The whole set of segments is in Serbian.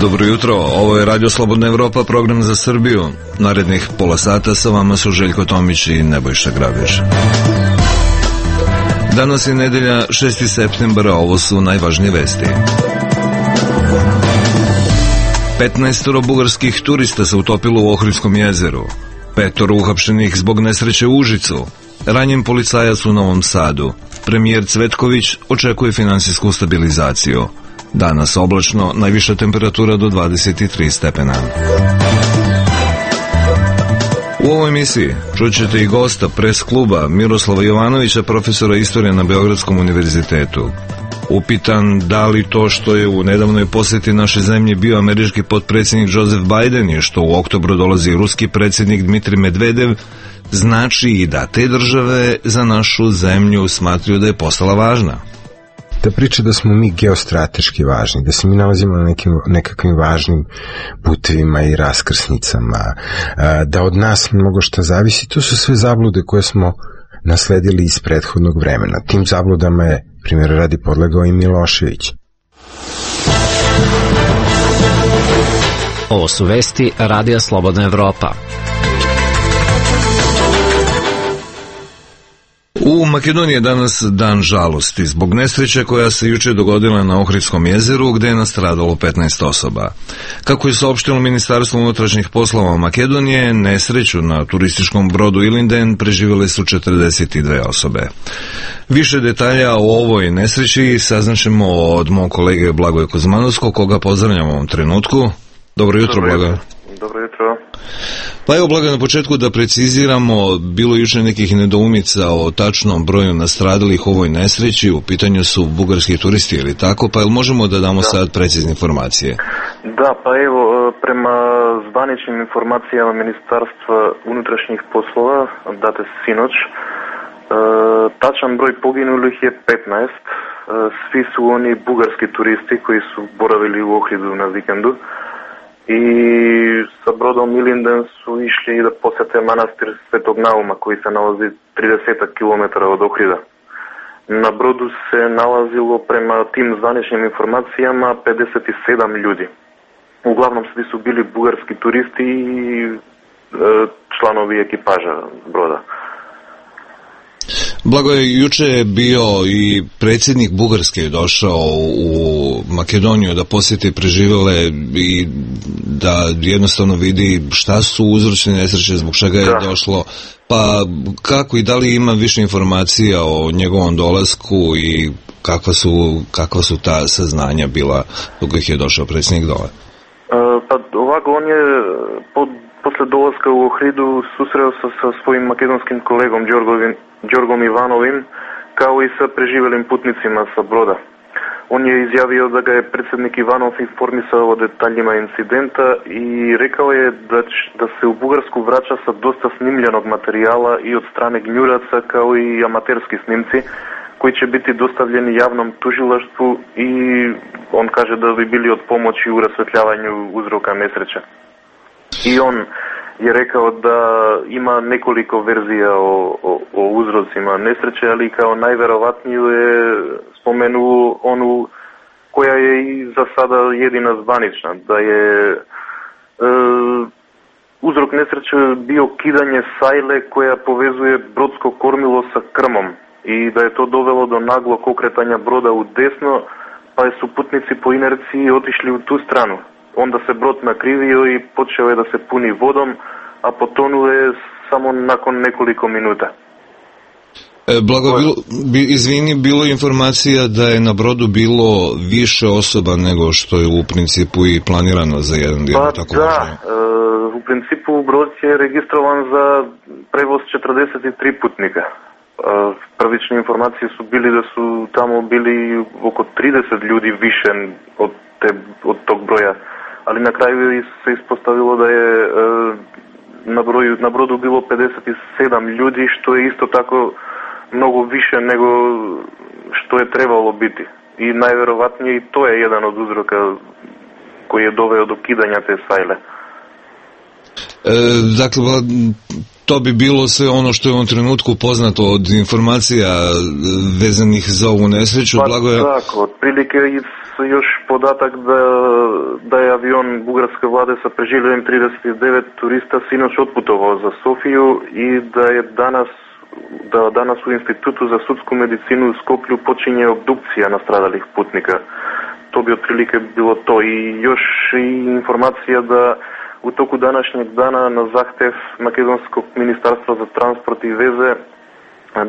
Dobro jutro, ovo je Radio Slobodna Evropa, program za Srbiju. Narednih pola sata sa vama su Željko Tomić i Nebojša Grabež. Danas je nedelja 6. septembra, ovo su najvažnije vesti. 15 bugarskih turista se utopilo u Ohridskom jezeru. 5 uhapšenih zbog nesreće u Užicu. Ranjen policajac u Novom Sadu. Premijer Cvetković očekuje finansijsku stabilizaciju. Danas oblačno, najviša temperatura do 23 stepena. U ovoj emisiji čućete i gosta pres kluba Miroslava Jovanovića, profesora istorije na Beogradskom univerzitetu. Upitan da li to što je u nedavnoj posjeti naše zemlje bio američki potpredsjednik Joseph Biden i što u oktobru dolazi ruski predsjednik Dmitrij Medvedev, znači i da te države za našu zemlju smatraju da je postala važna. Da priča da smo mi geostrateški važni, da se mi nalazimo na nekakvim važnim putevima i raskrsnicama, da od nas mnogo šta zavisi, to su sve zablude koje smo nasledili iz prethodnog vremena. Tim zabludama je, primjer radi, podlegao i Milošević. Ovo su vesti Radija Slobodna Evropa. U Makedoniji je danas dan žalosti zbog nesreće koja se juče dogodila na Ohridskom jezeru gde je nastradalo 15 osoba. Kako je saopštilo Ministarstvo unutrašnjih poslova Makedonije, nesreću na turističkom brodu Ilinden preživjele su 42 osobe. Više detalja o ovoj nesreći saznaćemo od mog kolege Blagoja Kuzmanovskog, koga pozdravljam u ovom trenutku. Dobro jutro, Blagoje. Dobro jutro. Pa evo, Blagoje, na početku da preciziramo, bilo juče nekih nedoumica o tačnom broju nastradalih u ovoj nesreći, u pitanju su bugarski turisti ili tako, pa jel možemo da damo sad precizne informacije? Da, pa evo, prema zvaničnim informacijama Ministarstva unutrašnjih poslova, date sinoć, tačan broj poginulih je 15, svi su oni bugarski turisti koji su boravili u Ohridu na vikendu. I sa brodom Ilinden su išli da posjete manastir Svetog Nauma koji se nalazi 30 km od Ohrida. Na brodu se nalazilo prema tim zvaničnim informacijama 57 ljudi. Uglavnom svi su bili bugarski turisti i članovi ekipaža broda. Blagoje, juče je bio i predsjednik Bugarske je došao u Makedoniju da posjeti preživjele i da jednostavno vidi šta su uzročne nesreće, zbog čega je došlo, pa kako i da li ima više informacija o njegovom dolasku i kakva su ta saznanja bila dok ih je došao predsjednik dole? Pa ovako, on je posle dolaska u Ohridu susreo se sa svojim makedonskim kolegom Đorgom Ivanovim, kao i sa preživelim putnicima sa broda. On je izjavio da ga je predsjednik Ivanov informisao o detaljima incidenta i rekao je da se u Bugarsku vraća sa dosta snimljenog materijala i od strane gnjuraca, kao i amaterski snimci koji će biti dostavljeni javnom tužilaštvu i on kaže da bi bili od pomoći u rasvetljavanju uzroka nesreće. I on je rekao da ima nekoliko verzija o uzrocima nesreće, ali kao najverovatniju je spomenuo onu koja je i za sada jedina zvanična, da je uzrok nesreće bio kidanje sajle koja povezuje brodsko kormilo sa krmom i da je to dovelo do naglog okretanja broda u desno, pa su putnici po inerciji otišli u tu stranu. Onda se brod nakrivio i počeo je da se puni vodom, a potonuo je samo nakon nekoliko minuta. Blago, izvini, bilo je informacija da je na brodu bilo više osoba nego što je u principu i planirano za jedan dio. Pa tako da, u principu brod je registrovan za prevoz 43 putnika. Prvične informacije su bili da su tamo bili oko 30 ljudi više od tog broja, ali na kraju se ispostavilo da je na brodu bilo 57 ljudi, što je isto tako mnogo više nego što je trebalo biti. I najverovatnije i to je jedan od uzroka koji je doveo do kidanja te sajle. Dakle, to bi bilo sve ono što je u ovom trenutku poznato od informacija vezanih za ovu nesreću. Blagoje... Tako, otprilike još podatak da je avion bugarske vlade sa preživljenim 39 turista sinoć otputovao za Sofiju i da je danas u Institutu za sudsku medicinu u Skoplju počinje obdukcija nastradalih putnika. To bi otprilike bilo to. I još i informacija da u toku današnjeg dana na zahtev Makedonskog ministarstva za transport i veze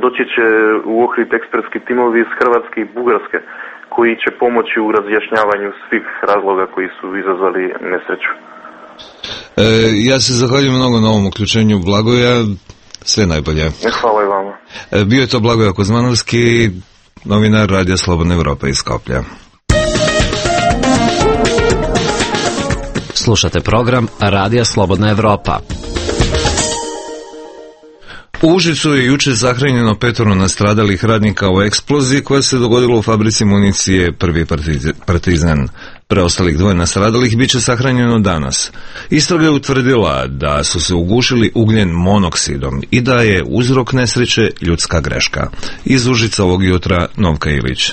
doći će u Ohrid ekspresski timovi iz Hrvatske i Bugarske koji će pomoći u razjašnjavanju svih razloga koji su izazvali nesreću. Ja se zahvaljujem mnogo na ovom uključenju, Blagoja. Sve najbolje. Hvala i vama. Bio je to Blagoje Kozmanovski, novinar Radija Slobodna Evropa iz Skoplja. Slušate program Radija Slobodna Evropa. U Užicu je juče sahranjeno 5 nastradalih radnika u eksploziji koja se dogodila u fabrici municije Prvi Partizan. Preostalih 2 nastradalih bit će sahranjeno danas. Istraga je utvrdila da su se ugušili ugljen monoksidom i da je uzrok nesreće ljudska greška. Iz Užica ovog jutra Novka Ilić.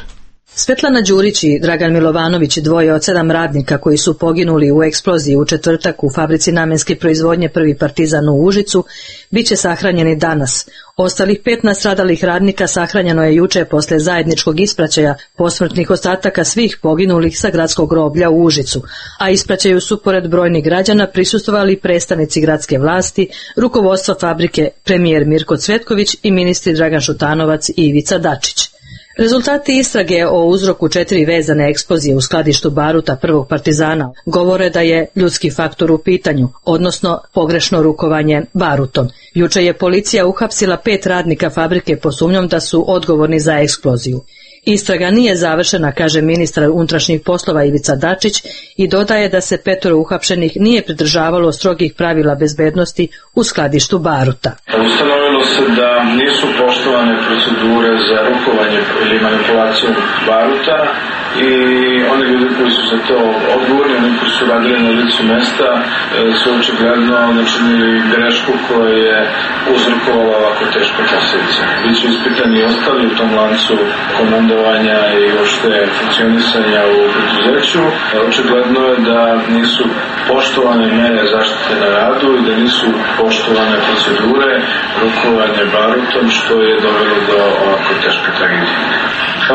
Svetlana Đurić i Dragan Milovanović, 2 od 7 radnika koji su poginuli u eksploziji u četvrtak u fabrici namenske proizvodnje Prvi Partizan u Užicu, bit će sahranjeni danas. Ostalih 5 nastradalih radnika sahranjeno je juče posle zajedničkog ispraćaja posmrtnih ostataka svih poginulih sa gradskog groblja u Užicu, a ispraćaju su pored brojnih građana prisustvovali predstavnici gradske vlasti, rukovodstva fabrike, premijer Mirko Cvetković i ministri Dragan Šutanovac i Ivica Dačić. Rezultati istrage o uzroku 4 vezane eksplozije u skladištu baruta Prvog Partizana govore da je ljudski faktor u pitanju, odnosno pogrešno rukovanje barutom. Juče je policija uhapsila 5 radnika fabrike pod sumnjom da su odgovorni za eksploziju. Istraga nije završena, kaže ministar unutrašnjih poslova Ivica Dačić i dodaje da se 5 uhapšenih nije pridržavalo strogih pravila bezbednosti u skladištu baruta. Ustanovilo se da nisu poštovane procedure za rukovanje ili manipulaciju baruta i oni ljudi koji su za to odgovorni, oni koji su radili na licu mesta, su očigledno načinili grešku koja je uzrokovala ovako teške posljedice. Biće ispitani i ostali u tom lancu komandovanja i uopšte funkcionisanja u preduzeću. Očigledno je da nisu poštovane mere zaštite na radu i da nisu poštovane procedure rukovanja barutom, što je dovelo do ovako teške tragedije.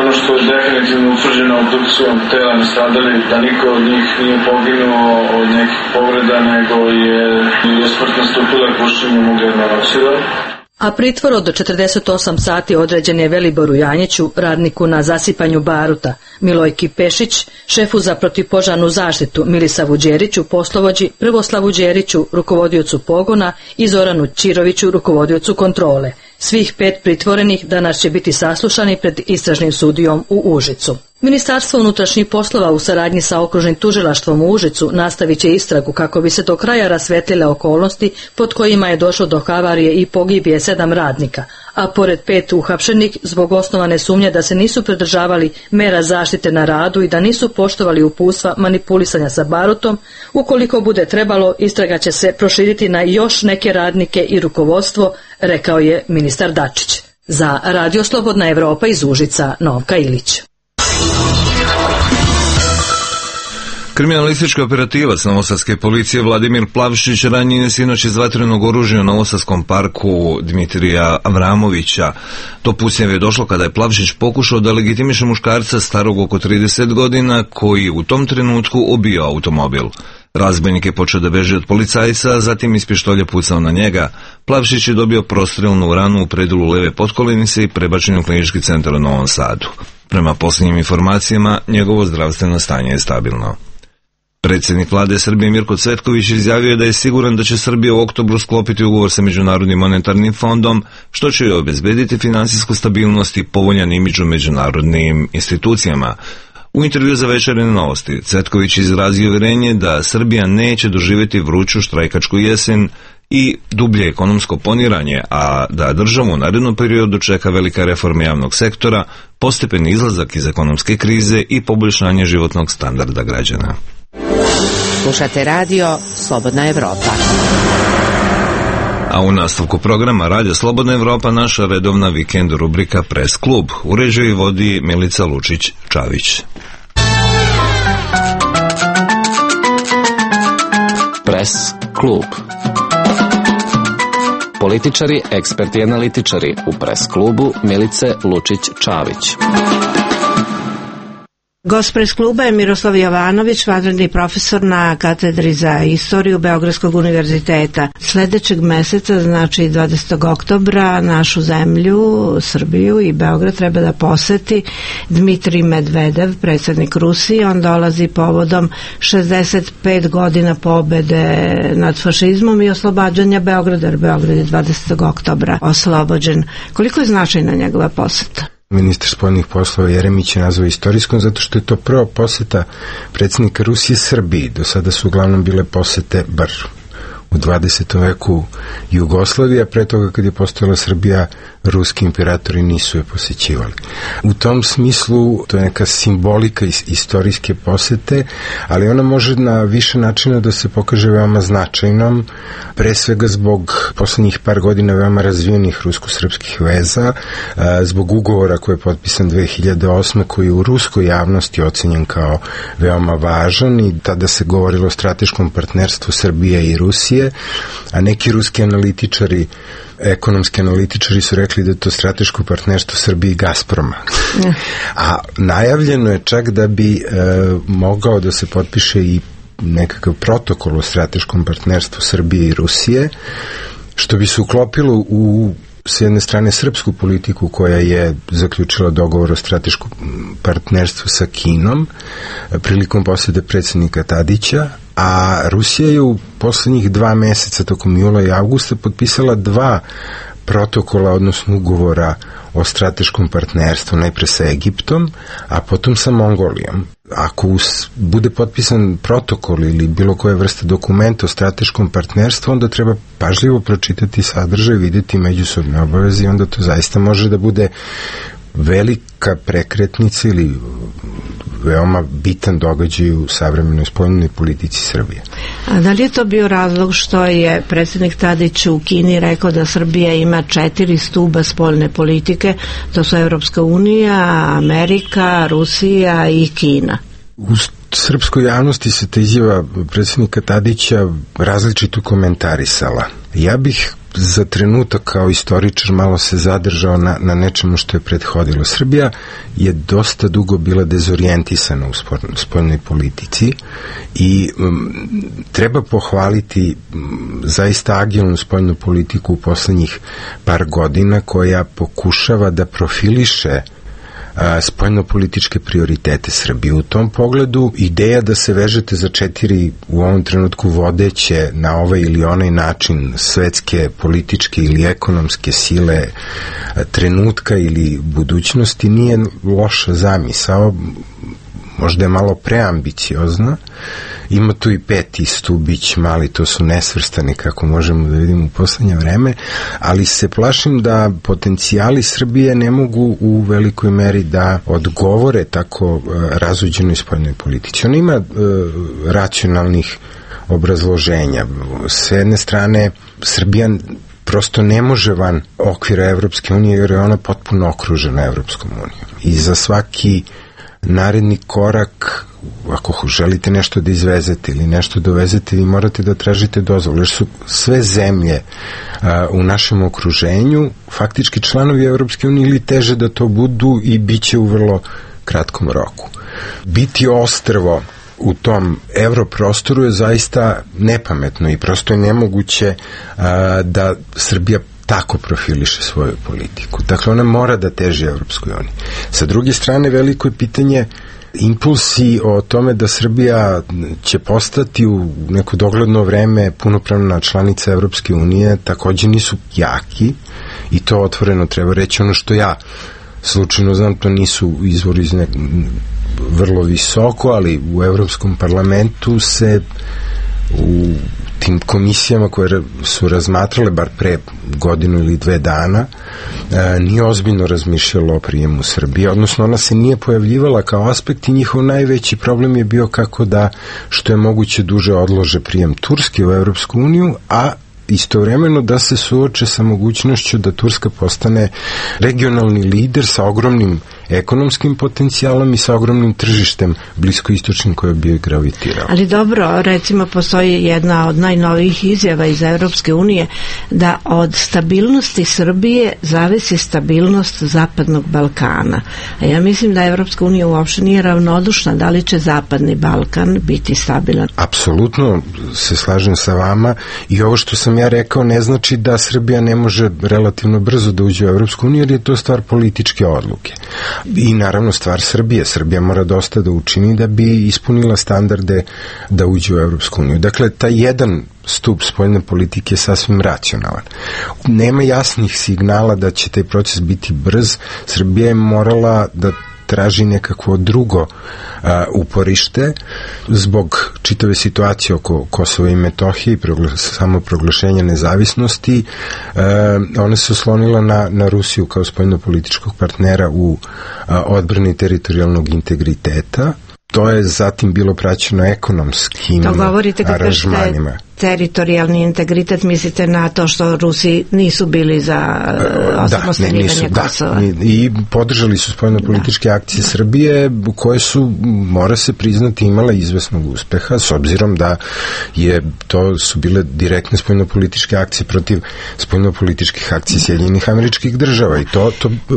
Ono što je definitivno utvrđeno obdukcijom tela nastradalih, da niko od njih nije poginuo od nekih povreda, nego je smrt nastupila pušenjem ugljen monoksida. A pritvor od 48 sati određen je Veliboru Janjiću, radniku na zasipanju baruta, Milojki Pešić, šefu za protivpožarnu zaštitu Milisavu Đeriću, poslovođi Prvoslavu Đeriću, rukovodiocu pogona i Zoranu Ćiroviću, rukovodiocu kontrole. Svih 5 pritvorenih danas će biti saslušani pred istražnim sudijom u Užicu. Ministarstvo unutrašnjih poslova u saradnji sa okružnim tužilaštvom u Užicu nastavit će istragu kako bi se do kraja rasvetlile okolnosti pod kojima je došlo do havarije i pogibije 7 radnika, a pored 5 uhapšenih zbog osnovane sumnje da se nisu pridržavali mera zaštite na radu i da nisu poštovali uputstva manipulisanja sa barutom, ukoliko bude trebalo, istraga će se proširiti na još neke radnike i rukovodstvo, rekao je ministar Dačić. Za Radio Slobodna Evropa iz Užica, Novka Ilić. Kriminalistički operativac novosadske policije Vladimir Plavšić ranjen je sinoć iz vatrenog oružja u novosadskom parku Dmitrija Avramovića. Do pucnjeva je došlo kada je Plavšić pokušao da legitimiše muškarca starog oko 30 godina koji u tom trenutku obio automobil. Razbojnik je počeo da beži od policajca, a zatim iz pištolja pucao na njega. Plavšić je dobio prostrelnu ranu u predelu leve potkolenice i prebačen u klinički centar u Novom Sadu. Prema posljednjim informacijama, njegovo zdravstveno stanje je stabilno. Predsjednik vlade Srbije Mirko Cvetković izjavio je da je siguran da će Srbija u oktobru sklopiti ugovor sa Međunarodnim monetarnim fondom, što će joj obezbediti finansijsku stabilnost i povoljan imidž u međunarodnim institucijama. U intervju za Večernje novosti Cvetković izrazio uvjerenje da Srbija neće doživjeti vruću štrajkačku jesen i dublje ekonomsko poniranje, a da državu u narednom periodu čeka velika reforma javnog sektora, postepeni izlazak iz ekonomske krize i poboljšanje životnog standarda građana. Slušate radio Slobodna Evropa. A u nastavku programa Radio Slobodna Evropa naša redovna vikend rubrika Press klub. Uređuje i vodi Milica Lučić-Čavić. Press klub. Političari, eksperti i analitičari u Press klubu Milice Lučić-Čavić. Gost Press kluba je Miroslav Jovanović, vanredni profesor na katedri za istoriju Beogradskog univerziteta. Sledećeg meseca, znači 20. oktobra, našu zemlju, Srbiju i Beograd treba da poseti Dmitrij Medvedev, predsjednik Rusije. On dolazi povodom 65 godina pobede nad fašizmom i oslobađanja Beograda, jer Beograd je 20. oktobra oslobođen. Koliko je značajna njegova poseta? Ministar spoljnih poslova Jeremić je nazvao istorijskom zato što je to prva poseta predsjednika Rusije Srbiji. Do sada su uglavnom bile posete, bar u 20. veku, Jugoslavija, pre toga kad je postojala Srbija, ruski imperatori nisu je posećivali. U tom smislu to je neka simbolika istorijske posete, ali ona može na više načina da se pokaže veoma značajnom, pre svega zbog poslednjih par godina veoma razvijenih rusko-srpskih veza, zbog ugovora koji je potpisan 2008. koji je u ruskoj javnosti ocenjen kao veoma važan i tada se govorilo o strateškom partnerstvu Srbije i Rusije, a neki ruski analitičari, ekonomski analitičari su rekli da je to strateško partnerstvo Srbije i Gazproma. A najavljeno je čak da bi mogao da se potpiše i nekakav protokol o strateškom partnerstvu Srbije i Rusije, što bi se uklopilo u s jedne strane srpsku politiku koja je zaključila dogovor o strateškom partnerstvu sa Kinom prilikom posete predsjednika Tadića, a Rusija je u poslednjih 2 meseca tokom jula i avgusta potpisala 2 protokola, odnosno ugovora o strateškom partnerstvu, najpre sa Egiptom, a potom sa Mongolijom. Ako bude potpisan protokol ili bilo koje vrste dokumenta o strateškom partnerstvu, onda treba pažljivo pročitati sadržaj, vidjeti međusobne obaveze i onda to zaista može da bude velika prekretnica ili veoma bitan događaj u savremenoj spoljnoj politici Srbije. A da li je to bio razlog što je predsjednik Tadić u Kini rekao da Srbija ima 4 stuba spoljne politike, to su Evropska unija, Amerika, Rusija i Kina? U srpskoj javnosti se ta izjava predsjednika Tadića različito komentarisala. Ja bih za trenutak kao istoričar malo se zadržao na nečemu što je prethodilo. Srbija je dosta dugo bila dezorijentisana u spoljnoj politici i treba pohvaliti zaista agilnu spoljnu politiku u poslednjih par godina koja pokušava da profiliše spoljno-političke prioritete Srbije. U tom pogledu ideja da se vežete za 4 u ovom trenutku vodeće na ovaj ili onaj način svetske, političke ili ekonomske sile trenutka ili budućnosti nije loša zamisao, možda je malo preambiciozna. Ima tu i 5. stubić mali, to su nesvrstani kako možemo da vidimo u poslednje vreme, ali se plašim da potencijali Srbije ne mogu u velikoj meri da odgovore tako razuđenoj spoljnoj politici. Ona ima racionalnih obrazloženja. S jedne strane, Srbija prosto ne može van okvira Evropske unije jer je ona potpuno okružena Evropskom unijom. I za svaki naredni korak, ako želite nešto da izvezete ili nešto dovezete, vi morate da tražite dozvolu, jer su sve zemlje u našem okruženju faktički članovi Evropske unije ili teže da to budu i bit će u vrlo kratkom roku. Biti ostrvo u tom evroprostoru je zaista nepametno i prosto je nemoguće da Srbija tako profiliše svoju politiku. Dakle, ona mora da teži Evropskoj uniji. Sa druge strane, veliko je pitanje impulsi o tome da Srbija će postati u neko dogledno vreme punopravna članica Evropske unije takođe nisu jaki i to otvoreno treba reći. Ono što ja slučajno znam, to nisu izvori iz vrlo visoko, ali u Evropskom parlamentu se u tim komisijama koje su razmatrale bar pre godinu ili 2 dana nije ozbiljno razmišljalo o prijemu Srbije, odnosno ona se nije pojavljivala kao aspekt i njihov najveći problem je bio kako da što je moguće duže odlože prijem Turske u Evropsku uniju, a istovremeno da se suoče sa mogućnošću da Turska postane regionalni lider sa ogromnim ekonomskim potencijalom i sa ogromnim tržištem bliskoistočnim koje bi gravitirao. Ali dobro, recimo postoji jedna od najnovijih izjava iz Evropske unije da od stabilnosti Srbije zavisi stabilnost Zapadnog Balkana. A ja mislim da Evropska unija uopšte nije ravnodušna da li će Zapadni Balkan biti stabilan. Apsolutno se slažem sa vama i ovo što sam ja rekao ne znači da Srbija ne može relativno brzo da uđe u Evropsku uniju, jer je to stvar političke odluke. I naravno stvar Srbije. Srbija mora dosta da učini da bi ispunila standarde da uđe u Evropsku uniju. Dakle, taj jedan stup spoljne politike je sasvim racionalan. Nema jasnih signala da će taj proces biti brz. Srbija je morala da traži nekakvo drugo uporište zbog čitave situacije oko Kosova i Metohije i samoproglašenja nezavisnosti. Ona se oslonila na Rusiju kao spoljnopolitičkog partnera u odbrani teritorijalnog integriteta. To je zatim bilo praćeno ekonomskim aranžmanima. To govorite kad kažete teritorijalni integritet, mislite na to što Rusi nisu bili za osamostaljenje Kosova. I podržali su spoljnopolitičke akcije Srbije koje su, mora se priznati, imala izvesnog uspeha s obzirom da to su bile direktne spoljnopolitičke akcije protiv spoljnopolitičkih akcija Sjedinjenih Američkih Država i to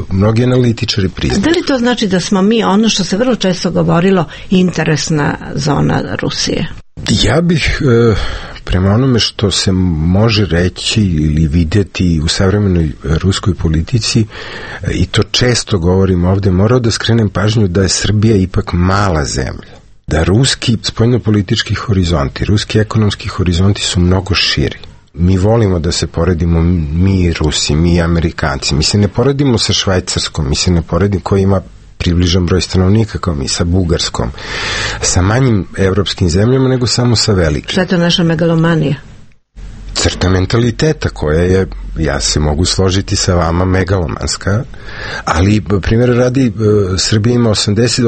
mnogi analitičari priznaju. Da li to znači da smo mi, ono što se vrlo često govorilo, interesna zona Rusije? Ja bih prema onome što se može reći ili vidjeti u savremenoj ruskoj politici, i to često govorim ovde, morao da skrenem pažnju da je Srbija ipak mala zemlja. Da ruski spoljnopolitički horizonti, ruski ekonomski horizonti su mnogo širi. Mi volimo da se poredimo, mi Rusi, mi Amerikanci. Mi se ne poredimo sa Švajcarskom, mi se ne poredimo koji ima približan broj stanovnika kao mi, sa Bugarskom, sa manjim evropskim zemljama nego samo sa velikim. Šta je to naša megalomanija? Crta mentaliteta koja je, ja se mogu složiti sa vama, megalomanska, ali primjer radi, Srbija ima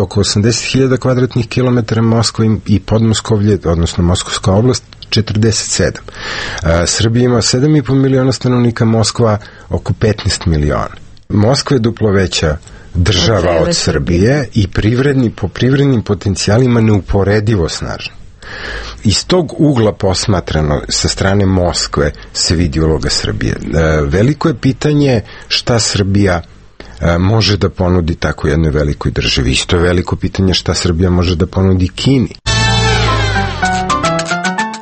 oko 80.000 kvadratnih kilometara, Moskva i Podmoskovlje, odnosno Moskovska oblast, 47. Srbija ima 7,5 miliona stanovnika, Moskva oko 15 miliona. Moskva je duplo veća država od Srbije i po privrednim potencijalima neuporedivo snažna. Iz tog ugla posmatrano sa strane Moskve se vidi uloga Srbije. Veliko je pitanje šta Srbija može da ponudi tako jednoj velikoj državi. Isto je veliko pitanje šta Srbija može da ponudi Kini.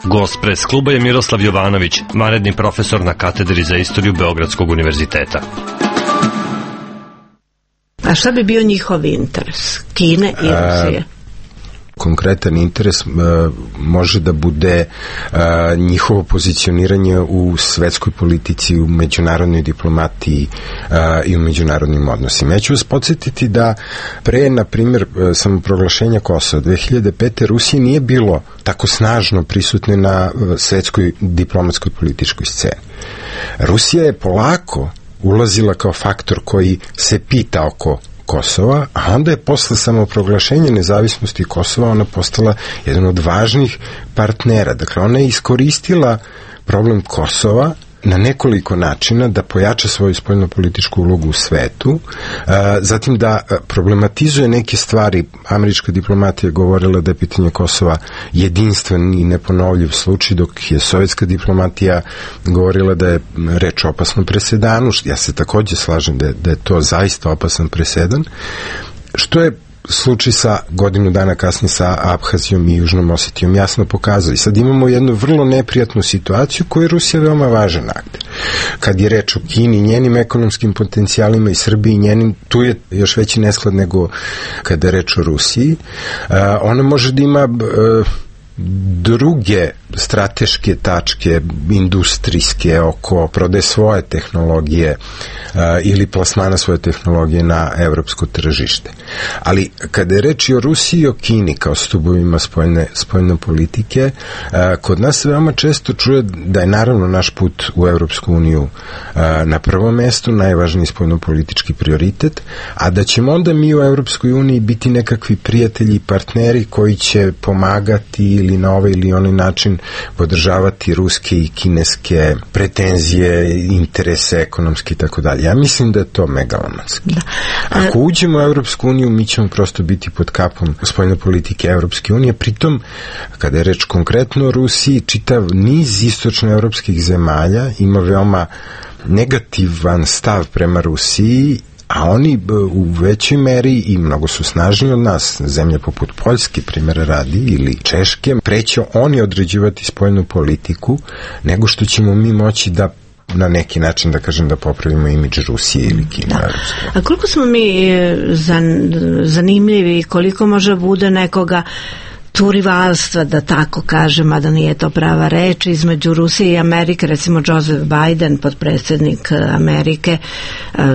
Gost pres kluba je Miroslav Jovanović, vanredni profesor na katedri za istoriju Beogradskog univerziteta. A šta bi bio njihov interes? Kine i Rusije? Konkretan interes može da bude njihovo pozicioniranje u svetskoj politici, u međunarodnoj diplomatiji i u međunarodnim odnosima. Ja ću vas podsjetiti da pre, na primjer, samoproglašenja Kosova 2005. Rusije nije bilo tako snažno prisutne na svetskoj diplomatskoj političkoj sceni. Rusija je polako ulazila kao faktor koji se pita oko Kosova, a onda je posle samoproglašenja nezavisnosti Kosova ona postala jedan od važnih partnera. Dakle, ona je iskoristila problem Kosova na nekoliko načina da pojača svoju spoljnopolitičku ulogu u svetu, zatim da problematizuje neke stvari. Američka diplomatija govorila da je pitanje Kosova jedinstven i neponovljiv slučaj, dok je sovjetska diplomatija govorila da je reč o opasnom presedanu. Ja se takođe slažem da je to zaista opasan presedan, što je slučaj sa godinu dana kasnije sa Abhazijom i Južnom Osetijom jasno pokazao. I sad imamo jednu vrlo neprijatnu situaciju koju je Rusija veoma važan akter. Kad je reč o Kini, njenim ekonomskim potencijalima i Srbiji njenim, tu je još veći nesklad nego kada je reč o Rusiji. Ona može da ima druge strateške tačke industrijske oko prodaje svoje tehnologije ili plasmana svoje tehnologije na evropsko tržište. Ali kada je reč o Rusiji i o Kini kao stubovima spoljne politike, kod nas se veoma često čuje da je naravno naš put u Evropsku uniju na prvom mestu, najvažniji spoljnopolitički prioritet, a da ćemo onda mi u Evropskoj uniji biti nekakvi prijatelji i partneri koji će pomagati ili na ovaj ili onaj način podržavati ruske i kineske pretenzije, interese ekonomske i tako dalje. Ja mislim da je to megalomanski. Da. Ako uđemo u Evropsku uniju, mi ćemo prosto biti pod kapom spoljne politike Evropske unije. Pritom, kada je reč konkretno o Rusiji, čitav niz istočnoevropskih zemalja ima veoma negativan stav prema Rusiji, a oni u većoj meri i mnogo su snažniji od nas, zemlje poput Poljske, primjera radi, ili Češke, preće oni određivati spoljnu politiku, nego što ćemo mi moći da na neki način, da kažem, da popravimo imidž Rusije ili Kine. Da. A koliko smo mi zanimljivi, koliko može bude nekoga tu rivalstva, da tako kažem, a da nije to prava reč, između Rusije i Amerike, recimo Joseph Biden, potpredsjednik Amerike,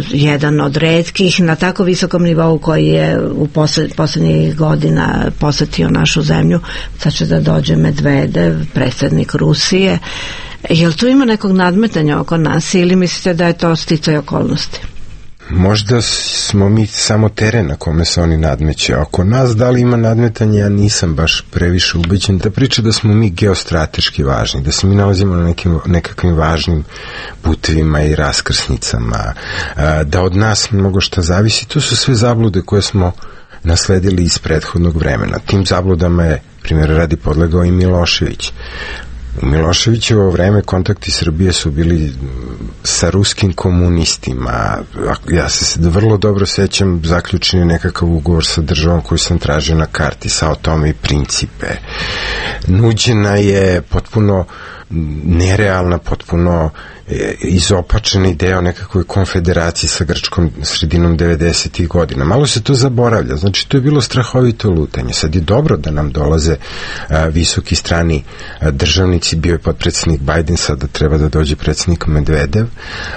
jedan od retkih na tako visokom nivou koji je u poslednjih godina posetio našu zemlju. Sad će da dođe Medvedev, predsjednik Rusije. Jel tu ima nekog nadmetanja oko nas ili mislite da je to sticaj okolnosti? Možda smo mi samo teren na kome se oni nadmeće. Oko nas da li ima nadmetanje, ja nisam baš previše ubeđen. Da priča da smo mi geostrateški važni, da se mi nalazimo na nekakvim važnim putevima i raskrsnicama, da od nas mnogo šta zavisi, to su sve zablude koje smo nasledili iz prethodnog vremena. Tim zabludama je, primjer radi, podlegao i Milošević. U Miloševićevo vreme kontakti Srbije su bili sa ruskim komunistima. Ja se vrlo dobro sećam, zaključen je nekakav ugovor sa državom koju sam tražio na karti, Sao Tome i Principe. Nuđena je potpuno nerealna, potpuno izopačena ideja o nekakvoj konfederaciji sa Grčkom sredinom 90. godina. Malo se to zaboravlja, znači to je bilo strahovito lutanje. Sad je dobro da nam dolaze visoki strani državnici, bio je potpredsjednik Biden, sada treba da dođe predsjednik Medvedev,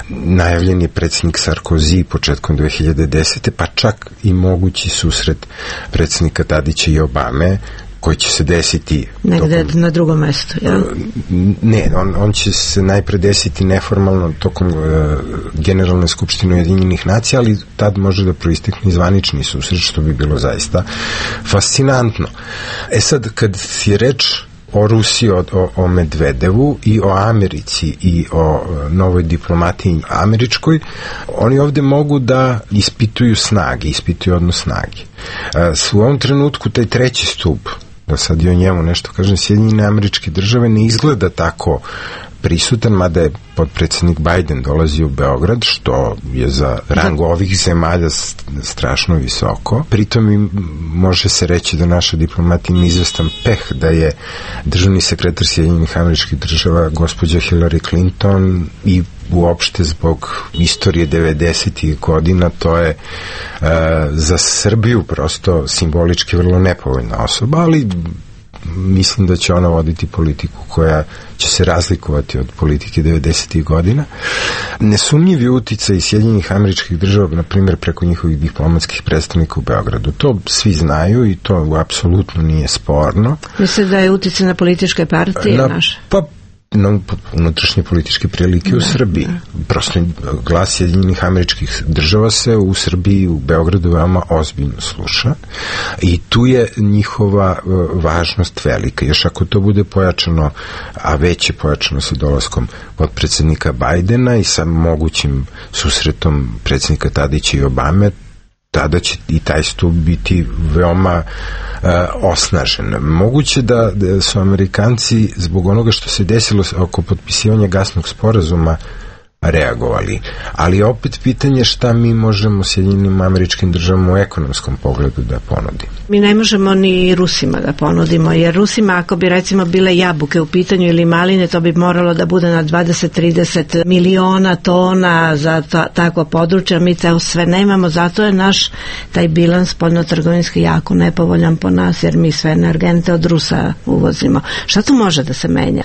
najavljen je predsjednik Sarkozy početkom 2010. pa čak i mogući susret predsjednika Tadića i Obame, koji će se desiti negde na drugom mestu, jel? Ne, on će se najpre desiti neformalno tokom Generalne skupštine Ujedinjenih nacija, ali tad može da proistekne zvanični susret, što bi bilo zaista fascinantno. Sad, kad je reč o Rusiji, o Medvedevu i o Americi i o novoj diplomatiji američkoj, oni ovde mogu da ispituju odnos snage. U ovom trenutku taj treći stup, da sad i o njemu nešto kažem, Sjedinjene Američke Države ne izgleda tako prisutan, mada je potpredsjednik Biden dolazi u Beograd, što je za rang ovih zemalja strašno visoko. Pritom može se reći da naša diplomatija ima izvestan peh da je državni sekretar Sjedinjenih Američkih Država gospođa Hillary Clinton i uopšte zbog istorije 90. godina, to je za Srbiju prosto simbolički vrlo nepovoljna osoba, ali mislim da će ona voditi politiku koja će se razlikovati od politike 90. godina. Nesumnjivi uticaj Sjedinjenih Američkih Država, na primjer preko njihovih diplomatskih predstavnika u Beogradu. To svi znaju i to apsolutno nije sporno. Mislim da je uticaj na političke partije naše? Pa na unutrašnje političke prilike u Srbiji. Prosto glas Sjedinjenih Američkih Država se u Srbiji, u Beogradu veoma ozbiljno sluša i tu je njihova važnost velika. Još ako to bude pojačano, a već je pojačano sa dolaskom potpredsjednika Bajdena i sa mogućim susretom predsjednika Tadića i Obame, tada će i taj stup biti veoma osnažen. Moguće da su Amerikanci zbog onoga što se desilo oko potpisivanja gasnog sporazuma reagovali. Ali opet pitanje šta mi možemo Sjedinjenim Američkim Državama u ekonomskom pogledu da ponudimo. Mi ne možemo ni Rusima da ponudimo, jer Rusima ako bi recimo bile jabuke u pitanju ili maline, to bi moralo da bude na 20-30 miliona tona za takvo područje, mi to sve nemamo, zato je naš taj bilans spoljnotrgovinski jako nepovoljan po nas, jer mi sve energente od Rusa uvozimo. Šta tu može da se menja?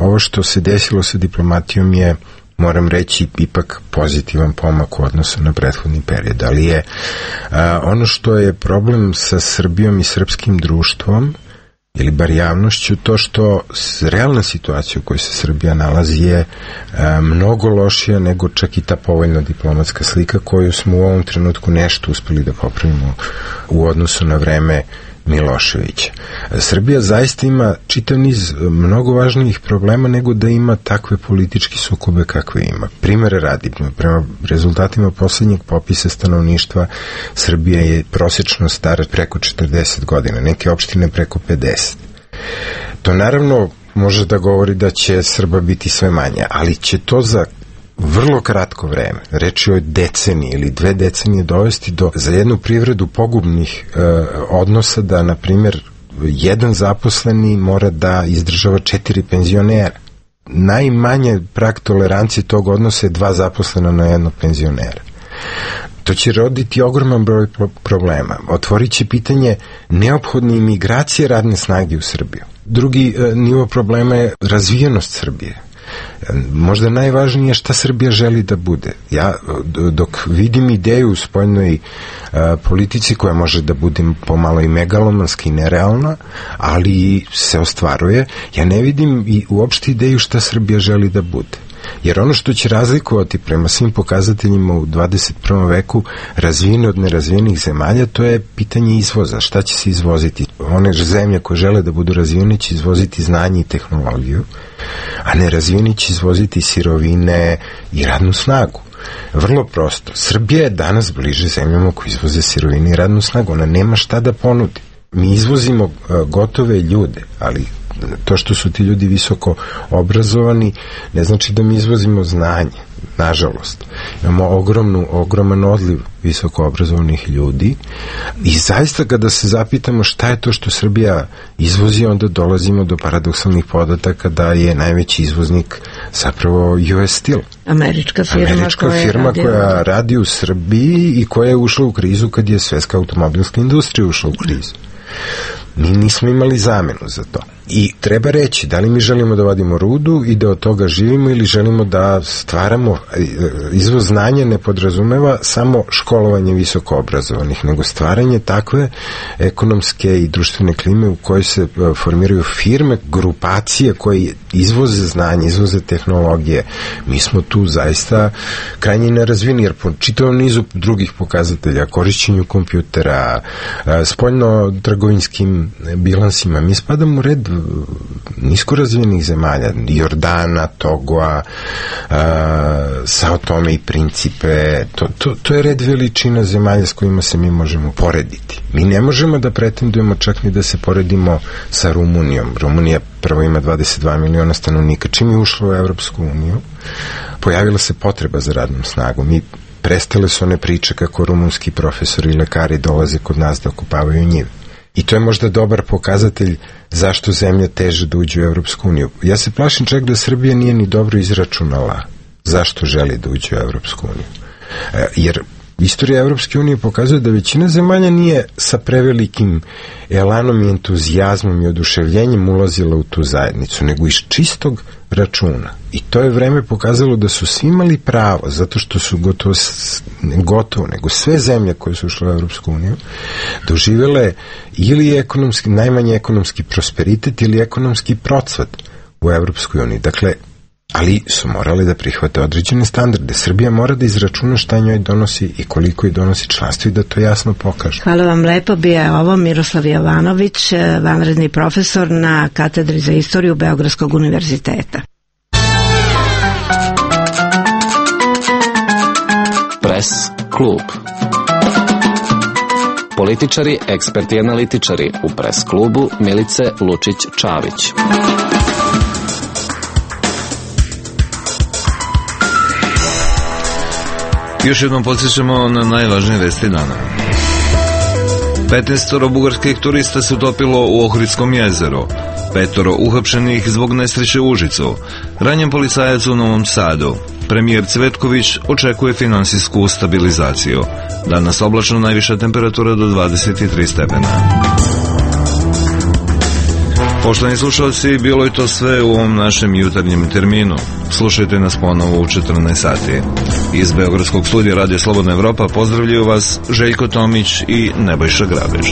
Ovo što se desilo sa diplomatijom je, moram reći, ipak pozitivan pomak u odnosu na prethodni period, ali je ono što je problem sa Srbijom i srpskim društvom ili bar javnošću, to što realna situacija u kojoj se Srbija nalazi je mnogo lošija nego čak i ta povoljna diplomatska slika koju smo u ovom trenutku nešto uspeli da popravimo u odnosu na vreme Miloševića. Srbija zaista ima čitav niz mnogo važnijih problema nego da ima takve politički sukobe kakve ima. Primere radi, prema rezultatima poslednjeg popisa stanovništva, Srbija je prosečno stara preko 40 godina, neke opštine preko 50. To naravno može da govori da će Srba biti sve manje, ali će to za vrlo kratko vreme, reč je o deceniji ili 2 decenije dovesti do za jednu privredu pogubnih odnosa da, na primjer, jedan zaposleni mora da izdržava 4 penzionera. Najmanje prag tolerancije tog odnosa je 2 zaposlena na jednog penzionera. To će roditi ogroman broj problema. Otvorit će pitanje neophodne imigracije radne snage u Srbiju. Drugi nivo problema je razvijenost Srbije. Možda najvažnije je šta Srbija želi da bude. Ja dok vidim ideju u spoljnoj politici koja može da bude pomalo i megalomanska i nerealna, ali se ostvaruje, ja ne vidim i uopšte ideju šta Srbija želi da bude. Jer ono što će razlikovati prema svim pokazateljima u 21. veku razvijene od nerazvijenih zemalja, to je pitanje izvoza. Šta će se izvoziti? One zemlje koje žele da budu razvijene će izvoziti znanje i tehnologiju, a nerazvijeni će izvoziti sirovine i radnu snagu. Vrlo prosto. Srbija je danas bliže zemljama koje izvoze sirovine i radnu snagu. Ona nema šta da ponudi. Mi izvozimo gotove ljude, ali to što su ti ljudi visoko obrazovani ne znači da mi izvozimo znanje, nažalost. Imamo ogroman odliv visoko obrazovanih ljudi i zaista kada se zapitamo šta je to što Srbija izvozi, onda dolazimo do paradoksalnih podataka da je najveći izvoznik zapravo US Steel. Američka firma koja radi u Srbiji i koja je ušla u krizu kad je svetska automobilska industrija ušla u krizu. Mi nismo imali zamenu za to. I treba reći, da li mi želimo da vadimo rudu i da od toga živimo ili želimo da stvaramo, izvoz znanja ne podrazumeva samo školovanje visoko obrazovanih, nego stvaranje takve ekonomske i društvene klime u kojoj se formiraju firme, grupacije koje izvoze znanje, izvoze tehnologije. Mi smo tu zaista krajnje nerazvijeni, jer po čitavom nizu drugih pokazatelja, korišćenju kompjutera, spoljno-trgovinskim bilansima, mi spadamo u red nisko razvijenih zemalja, Jordana, Togoa, Sao Tome i Principe, to je red veličina zemalja s kojima se mi možemo porediti. Mi ne možemo da pretendujemo čak ni da se poredimo sa Rumunijom. Rumunija prvo ima 22 miliona stanovnika. Čim je ušla u Evropsku uniju, pojavila se potreba za radnom snagom. Mi prestale su one priče kako rumunski profesori i lekari dolaze kod nas da okupavaju njive. I to je možda dobar pokazatelj zašto zemlja teže da uđe u Evropsku uniju. Ja se plašim čak da Srbija nije ni dobro izračunala zašto želi da uđe u Evropsku uniju. Jer istorija Evropske unije pokazuje da većina zemalja nije sa prevelikim elanom i entuzijazmom i oduševljenjem ulazila u tu zajednicu, nego iz čistog računa. I to je vreme pokazalo da su svi imali pravo, zato što su gotovo, nego sve zemlje koje su ušle u Evropsku uniju, doživele ili ekonomski, najmanje ekonomski prosperitet ili ekonomski procvat u Evropskoj uniji. Dakle, ali su morali da prihvate određene standarde. Srbija mora da izračuna šta njoj donosi i koliko joj donosi članstvo i da to jasno pokaže. Hvala vam lepo. Bio je ovo Miroslav Jovanović, vanredni profesor na katedri za istoriju Beogradskog univerziteta. Pres klub. Političari, eksperti i analitičari u Pres klubu Milice Lučić-Čavić. Još jednom podsjećamo na najvažnije vesti dana. 15 bugarskih turista se utopilo u Ohridskom jezeru. 5 uhapšenih zbog nesreće u Užicu. Ranjen policajac u Novom Sadu. Premijer Cvetković očekuje finansijsku stabilizaciju. Danas oblačno, najviša temperatura do 23 stepena. Poštovani slušalci, bilo je to sve u ovom našem jutarnjem terminu. Slušajte nas ponovo u 14 sati. Iz Beogradskog studija Radio Slobodna Evropa pozdravljaju vas Željko Tomić i Nebojša Grabež.